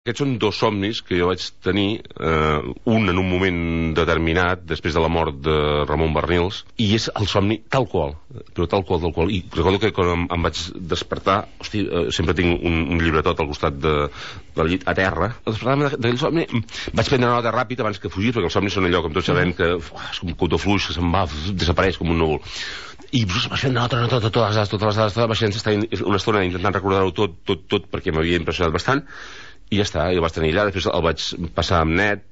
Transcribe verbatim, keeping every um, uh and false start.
Aquests són dos somnis que jo vaig tenir, eh, un en un moment determinat, després de la mort de Ramon Barnils, i és el somni tal qual, però tal qual, tal qual. I recordo que quan em, em vaig despertar, hosti, eh, sempre tinc un, un llibretot al costat de, del llit a terra, al despertar-me d'aquell somni, vaig prendre nota ràpid abans que fugir, perquè els somnis són allò, com tots sabem, que uf, és com un cotó fluix, que se'n va, desapareix com un núvol. I vaig fer nota, nota, totes les dades, totes les dades, vaig estar una estona intentant recordar-ho tot, tot, tot, perquè m'havia impressionat bastant, i ja està, i el vaig tenir allà. Després el vaig passar amb net,